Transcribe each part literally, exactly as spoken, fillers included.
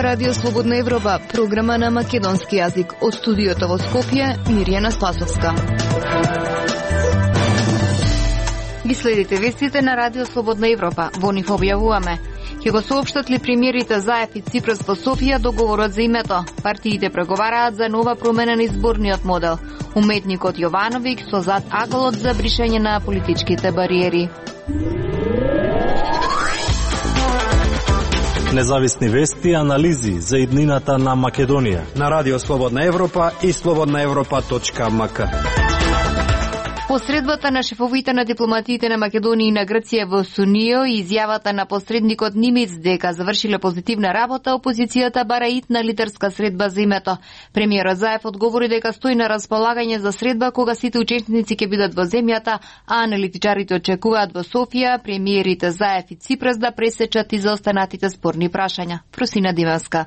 Радио Слободна Европа, програма на македонски јазик. Од студиото во Скопје, Мирјана Спасовска. Ги следите вестите на Радио Слободна Европа. Во нив објавуваме: ќе го соопштат ли премиерите Заев и Ципрас во Софија договорот за името? Партиите преговараат за нова промена на изборниот модел. Уметникот Јовановиќ со зад аголот за бришење на политичките бариери. Независни вести и анализи за иднината на Македонија на Радио Слободна Европа и слободна европа точка ем ка. Посредбата на шефовите на дипломатиите на Македонија и на Грција во Сунио и изјавата на посредникот Нимиц дека завршиле позитивна работа, опозицијата бара итна лидерска средба за името. Премиерот Заев одговори дека стои на располагање за средба кога сите учесници ќе бидат во земјата, а аналитичарите очекуваат во Софија премиерите Заев и Ципрас да пресечат и заостанатите спорни прашања. Просина Димевска.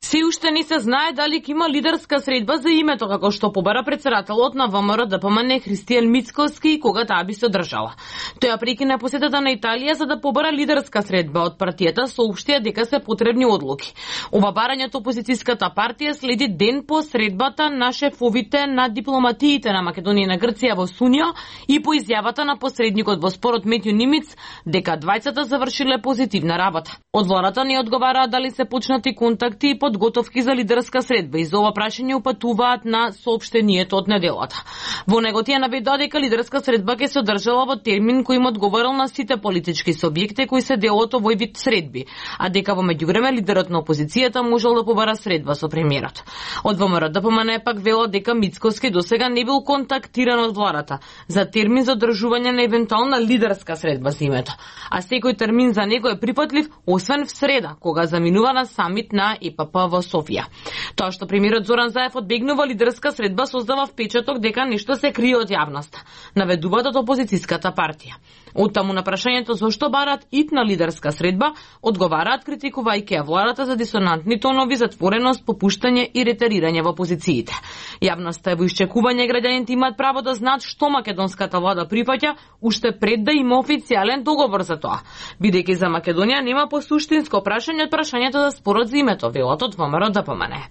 Се уште не се знае дали ќе има лидерска средба за името, како што побара председателот на ВМРО Д П М Н Христијан Мицкоски кога таа би се одржала. Тој ја прекина посетата на Италија за да побара лидерска средба од партијата, соопштија дека се потребни одлуки. Ова барање од опозицијската партија следи ден по средбата на шефовите на дипломатиите на Македонија и на Грција во Сунио и по изјавата на посредникот во спорот Метју Нимиц дека двајцата завршиле позитивна работа. Од владата не одговараат дали се почнати контакти и подготовки за лидерска средба и за ова прашање упатуваат на соопштението од неделата. Во него тие наведоа дека лидерска средба ќе се одржала во термин кој им одговорил на сите политички субјекти кои се дел од овој вид средби, а дека во меѓувреме лидерот на опозицијата можел да побара средба со премиерот. Од ВМРО Д П М Н пак велат дека Мицкоски досега не бил контактиран од владата за термин за одржување на евентуална лидерска средба за името, а секој термин за него е припатлив, освен в среда, кога заминува на самит на Е П П во Софија. Тоа што премиерот Зоран Заев одбегнува лидерска средба создава впечаток дека нешто се крие од јавноста, наведуваат од опозицијската партија. Оттаму на прашањето зошто бараат итна лидерска средба, одговараат критикувајќи ја владата за дисонантни тонови, затвореност, попуштање и ретерирање во позициите. Јавноста е во исчекување, граѓаните имаат право да знаат што македонската влада прифаќа уште пред да има официјален договор за тоа, бидејќи за Македонија нема посуштинско прашање од прашањето за спорот за името, велат од ВМРО Д П М Н.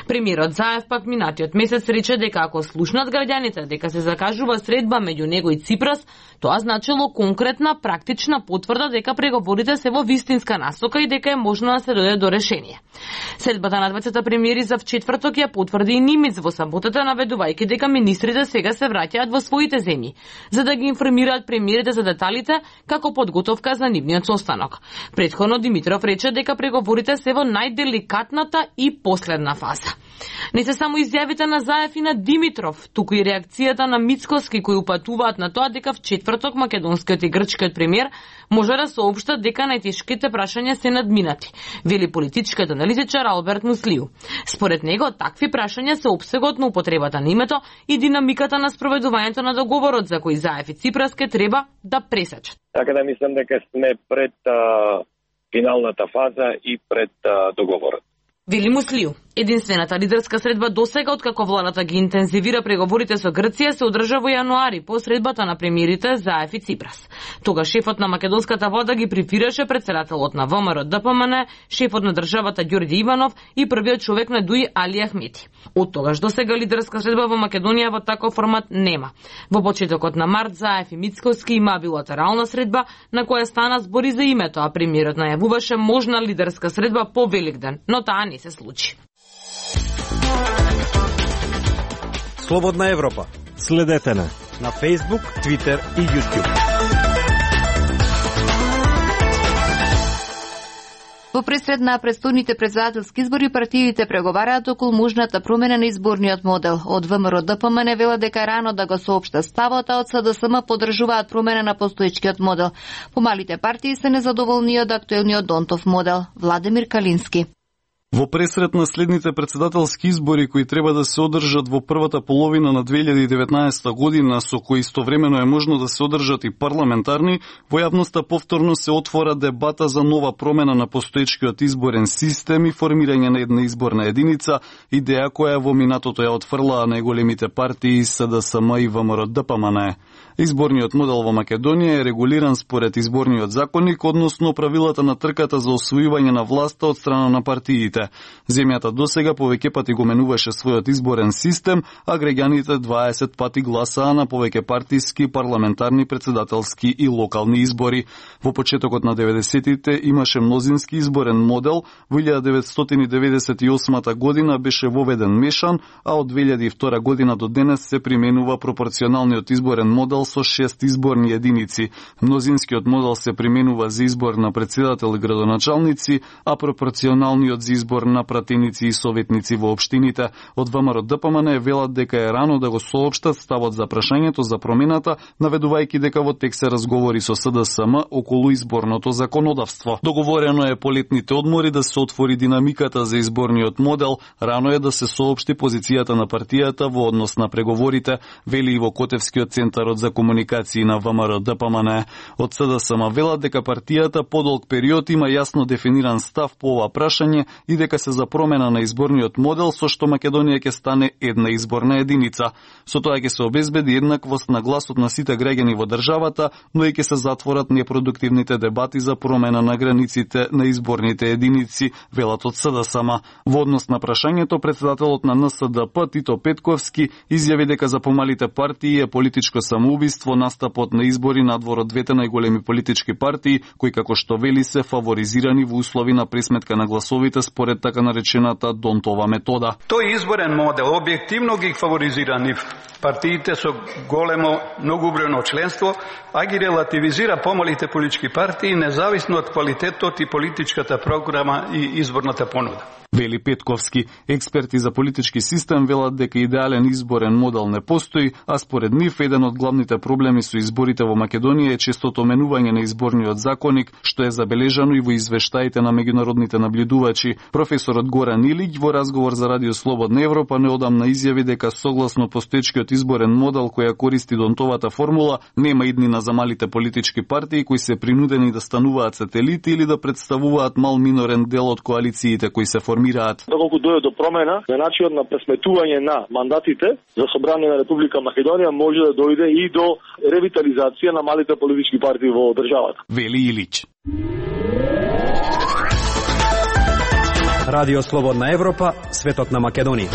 Премиерот Заев пак минатиот месец рече дека ако слушнат граѓаните дека се закажува средба меѓу него и Ципрас, тоа значило конкретна, практична потврда дека преговорите се во вистинска насока и дека е можно да се дојде до решение. Средбата на двајцата премиери за вчетврток ја потврди и Нимиц во саботата, наведувајќи дека министрите сега се враќаат во своите земји, за да ги информираат премиерите за деталите како подготовка за нивниот состанок. Претходно Димитров рече дека преговорите се во најделикатната и последна фаза. Не се само изјавите на Заев и на Димитров, туку и реакцијата на Мицкоски кои упатуваат на тоа дека вчетврток македонскиот и грчкиот премиер може да соопштат дека најтешките прашања се надминати, вели политичкиот аналитичар Алберт Муслиу. Според него, такви прашања се опсегот на употребата на името и динамиката на спроведувањето на договорот за кој Заев и Ципрас ке треба да пресечат. Така да мислам дека сме пред а, финалната фаза и пред а, договорот. Вели Муслиу. Единствената лидерска средба досега откако владата ги интензивира преговорите со Грција се одржа во јануари по средбата на премиерите Заев и Ципрас. Тога шефот на македонската влада ги префираше председателот на ВМРО Д П М Н, шефот на државата Ѓорѓе Иванов и првиот човек на Дуи Али Ахмети. Од тогаш досега лидерска средба во Македонија во таков формат нема. Во почетокот на март Заев и Мицкоски има билатерална средба на која стана збори за името, а премиерот најавуваше можна лидерска средба по Великден, но таа не се случи. Слободна Европа. Следете на на Facebook, Twitter и YouTube. Во пресред на предстојните претседателски избори партиите преговараат околу можната промена на изборниот модел. Од ВМРО Д П М Н велат дека рано да го соопшта ставот, а од С Д С М поддржуваат промена на постоечкиот модел. Помалите партии се незадоволни од актуелниот Донтов модел. Владимир Калински. Во пресред на следните претседателски избори кои треба да се одржат во првата половина на две илјади и деветнаесета година, со кои истовремено е можно да се одржат и парламентарни, во јавноста повторно се отвора дебата за нова промена на постоечкиот изборен систем и формирање на една изборна единица, идеја која во минатото ја отфрлаа најголемите партии С Д С М и ВМРО Д П М Н. Изборниот модел во Македонија е регулиран според изборниот законник, односно правилата на трката за освојување на власта од страна на партиите. изборите. Земјата досега повеќе пати го менуваше својот изборен систем, а граѓаните дваесет пати гласаа на повеќе партиски, парламентарни, председателски и локални избори. Во почетокот на деветдесетите имаше мнозински изборен модел, во илјада деветстотини деветдесет и осма година беше воведен мешан, а од две илјади и втора година до денес се применува пропорционалниот изборен модел со шест изборни единици. Мнозинскиот модел се применува за избор на председател и градоначалници, а пропорционалниот за избор на пратеници и советници во општините. Од ВМРО Д П М Н велат дека е рано да го соопштат ставот за прашањето за промената, наведувајќи дека во тек се разговори со С Д С М околу изборното законодавство. Договорено е по летните одмори да се отвори динамиката за изборниот модел, рано е да се соопшти позицијата на партијата во однос на преговорите, вели и во Котевскиот центарот за комуникации на ВМРО Д П М Н. Од С Д С М велат дека партијата подолг период има јасно дефиниран став по ова прашање и дека се за промена на изборниот модел со што Македонија ќе стане една изборна единица. Со тоа ќе се обезбеди еднаквост на гласот на сите граѓани во државата, но и ќе се затворат непродуктивните дебати за промена на границите на изборните единици, велат од С Д С М. Во однос на прашањето, председателот на Н С Д П Тито Петковски изјави дека за помалите партии е политичко самоубиство настапот на избори надвор од двете најголеми политички партии, кои како што вели се фаворизирани во услови на пресметка на гласовите според така наречената Донтова метода. Тој изборен модел објективно ги фаворизира нив партиите со големо многубројно членство, а ги релативизира помалите политички партии независно од квалитетот и политичката програма и изборната понуда. Вели Петковски, експерти за политички систем велат дека идеален изборен модел не постои, а според нив еден од главните проблеми со изборите во Македонија е честото менување на изборниот законник, што е забележано и во извештаите на меѓународните наблюдувачи. Професорот Горан Илиќ во разговор за Радио Слободна Европа неодамна изјави дека согласно постоечкиот изборен модел која користи Донтовата формула, нема иднина за малите политички партии кои се принудени да стануваат сателити или да представуваат мал минорен дел од коалициите кои се формираат. Доколку дојде до промена на начинот на пресметување на мандатите за собрание на Република Македонија, може да дојде и до ревитализација на малите политички партии во државата. Вели Илиќ. Радио Слободна Европа, светот на Македонија.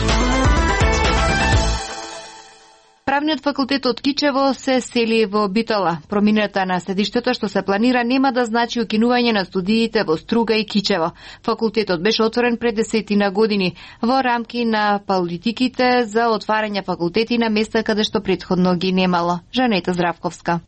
Правниот факултет од Кичево се сели во Битола. Промината на седиштето што се планира нема да значи укинување на студиите во Струга и Кичево. Факултетот беше отворен пред десетина години во рамки на политиките за отварање факултети на места каде што претходно ги немало. Жанета Здравковска.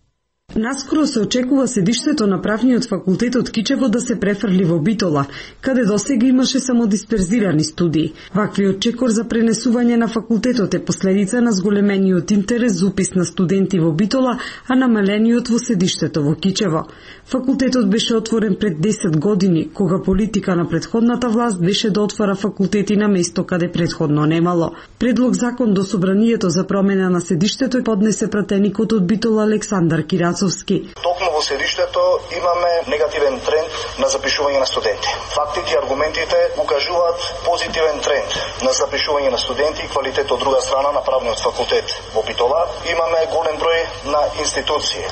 Наскоро се очекува седиштето на правниот факултет од Кичево да се префрли во Битола, каде досега имаше само дисперзирани студии. Ваквиот чекор за пренесување на факултетот е последица на зголемениот интерес за упис на студенти во Битола, а намалениот во седиштето во Кичево. Факултетот беше отворен пред десет години, кога политика на претходната власт беше да отвара факултети на место каде претходно немало. Предлог закон до собранието за промена на седиштето поднесе пратеникот од Битола Александар Кирацовски. Токму во седиштето имаме негативен тренд на запишување на студенти. Фактите и аргументите укажуваат позитивен тренд на запишување на студенти и квалитет од друга страна на правниот факултет во Битола. Имаме голем број на институции,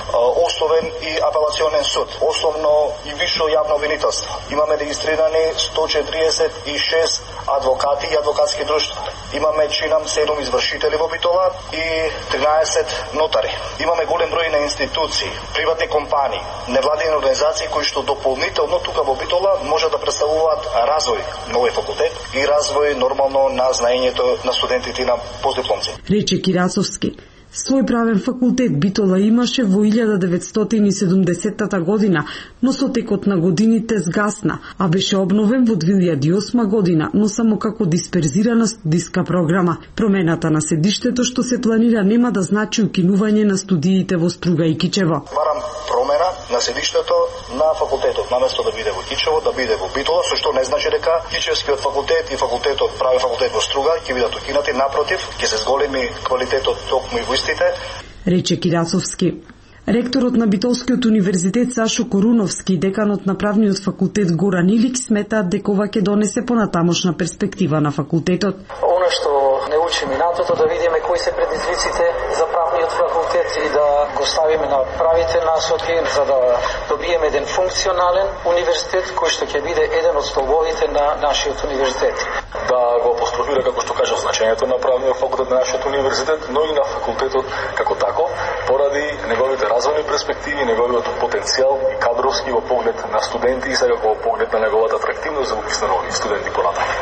основен и апелационен суд, основно и висше јавно обвинителство. Имаме регистрирани сто четиридесет и шест адвокати и адвокатски друштва. Имаме чинам седум извршители во Битола и тринаесет нотари. Имаме голем број на институции, приватни компании, невладени организации кои што дополнително тука во Битола може да представуваат развој на овој факултет и развој нормално на знаењето на студентите и на постдипломци. Рече Кирацовски. Свој правен факултет Битола имаше во илјада деветстотини и седумдесетта година, но со текот на годините сгасна, а беше обновен во две илјади и осма година, но само како дисперзирана студиска програма. Промената на седиштето што се планира нема да значи укинување на студиите во Струга и Кичево. Барам промена на седиштето на факултетот, наместо да биде во Кичево, да биде во Битола, со што не значи дека Кичевскиот факултет и факултетот, правен факултет во Струга ќе бидат укинати, напротив, ќе се зголеми квалитетот токму и во истите. Рече Кирацовски. Ректорот на Битолскиот универзитет Сашо Коруновски и деканот на правниот факултет Горан Илиќ сметаат дека ова ќе донесе понатамошна перспектива на факултетот. Оно што не учи минатото, да видиме кои се предизвиците за правниот факултет и да го ставиме на правите насоки, за да добиеме еден функционален универзитет кој што ќе биде еден од столбовите на нашиот универзитет. Да го апострофира, како што кажа, значењето на правниот факултет на нашиот универзитет, но и на факултетот како тако, поради неговите развојни перспективи, неговиот потенцијал и кадровски во поглед на студенти и секако во поглед на неговата атрактивност за упис на нови студенти понатаму.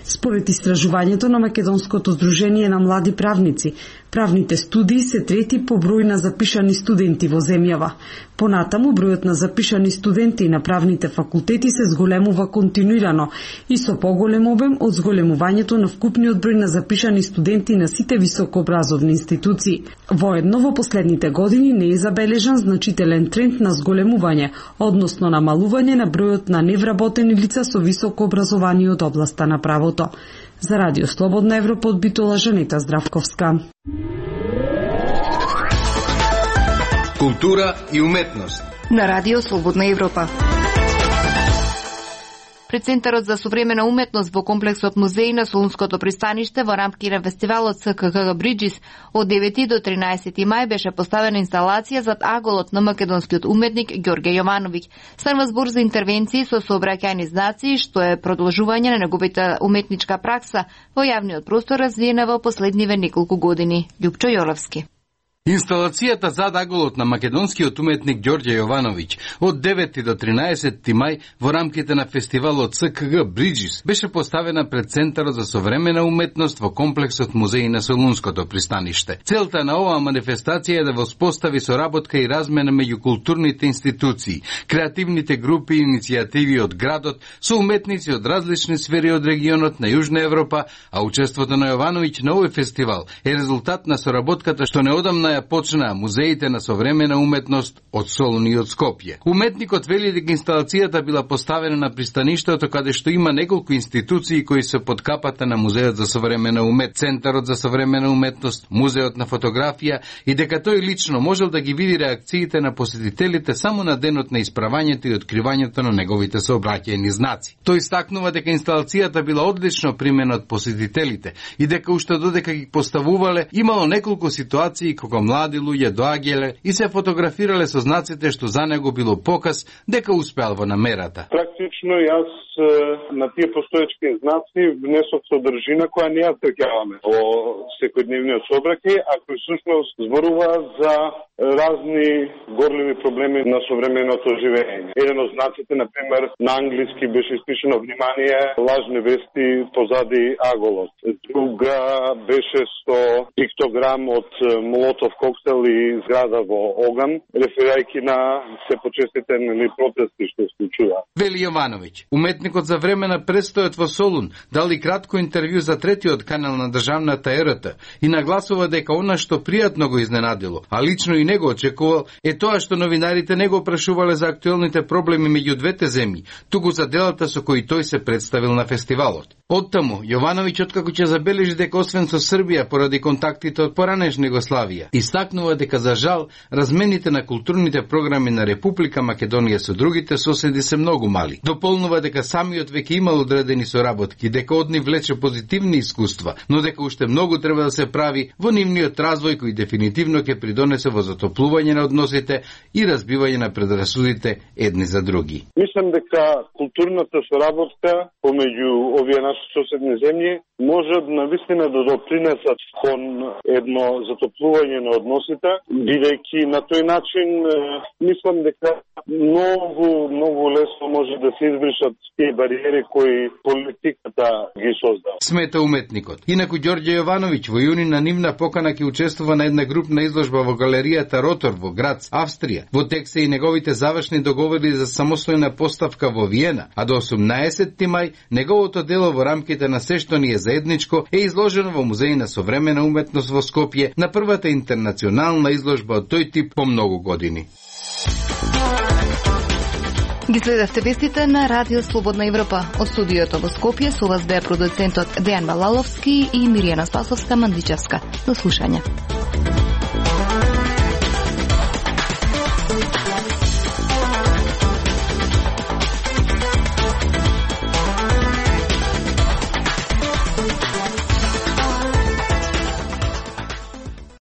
Според истражувањето на Македонското здружение на млади правници, правните студии се трети по број на запишани студенти во земјава. Понатаму, бројот на запишани студенти на правните факултети се зголемува континуирано и со поголем обем од зголемувањето на вкупниот број на запишани студенти на сите високообразовни институции. Воедно, во последните години не е забележан значителен тренд на зголемување, односно намалување на бројот на невработени лица со високо образование од областа на правото. За Радио Слободна Европа од Битола, Жанета Здравковска. Култура и уметност на Радио Слободна Европа. Пред Центарот за современа уметност во комплексот музеи на Солунското пристаниште во рамки на фестивалот С К Г Бриджис од девети до тринаесети мај беше поставена инсталација зад аголот на македонскиот уметник Ѓорѓе Јовановиќ. Станува збор за интервенции со сообраќајни знаци, што е продолжување на неговата уметничка пракса во јавниот простор развиена во последниве неколку години. Љупчо Јолевски. Инсталацијата зад аголот на македонскиот уметник Ѓорѓе Јовановиќ од девети до тринаесети мај во рамките на фестивалот С К Г Бриджис беше поставена пред Центарот за современа уметност во комплексот музеи на Солунското пристаниште. Целта на оваа манифестација е да воспостави соработка и размена меѓу културните институции, креативните групи и иницијативи од градот со уметници од различни сфери од регионот на Јужна Европа, а учеството на Јовановиќ на овој фестивал е резултат на соработката што неодамна ја почнаа музеите на современа уметност од Солун и од Скопје. Уметникот вели дека инсталацијата била поставена на пристаништето каде што има неколку институции кои се под капата на Музеот за современа умет, Центарот за современа уметност, Музеот на фотографија и дека тој лично можел да ги види реакциите на посетителите само на денот на исправањето и откривањето на неговите сообраќајни знаци. Тој истакнува дека инсталацијата била одлично примена од посетителите и дека уште додека ги поставувале имало неколку ситуации кога млади луѓе доаѓале и се фотографирале со знаците што за него било показ дека успеал во намерата. Практично јас на тие постоечки знаци внесох содржина која не ја тркјаваме во секојдневниот сообраќај, а кој всушност зборува за разни горливи проблеми на современото живење. Еден од знаците, например, на англиски беше испишено внимание лажни вести позади аголот. Друга беше со пиктограм од молотов коктел и зграда во оган, реферирајќи на се почеститени протести што се случува. Вели Јовановиќ, уметникот за време на престојот во Солун дали кратко интервју за третиот канал на државната Ер Т и нагласува дека она што пријатно го изненадило, а лично и него очекувал, е тоа што новинарите не го прашувале за актуелните проблеми меѓу двете земји, туку за делата со кои тој се представил на фестивалот. Оттаму, Јовановиќ откако ќе забележи дека освен со Србија поради контактите од поранешна Југославија, истакнува дека за жал размените на културните програми на Република Македонија со другите соседи се многу мали. Дополнува дека самиот веќе имал одредени соработки, дека од нив влече позитивни искуства, но дека уште многу треба да се прави во нивниот развој кој дефинитивно ќе придонесе во затоплување на односите и разбивање на предрасудите едни за други. Мислам дека културната соработка помеѓу овие наши соседни земји може навистина да допринесат кон едно затоплување на односите, бидејќи на тој начин мислам дека многу, многу лесно може да се избришат тие бариери кои политиката ги создава. Смета уметникот. Инаку Ѓорѓе Јовановиќ во јуни на нивна покана ќе учествува на една групна изложба во галеријата Ротор во Грац, Австрија. Во текст се и неговите завршни договори за самостојна поставка во Виена, а до осумнаесети мај неговото дело во рамките на се што ни е заедничко е изложено во Музеј на современа уметност во Скопје на првата интернационална изложба од тој тип по многу години. Ги следевте вестите на Радио Слободна Европа. Од студиото во Скопје со вас беа продуцентот Дејан Балаловски и Миријана Спасовска Мандичевска. До слушање.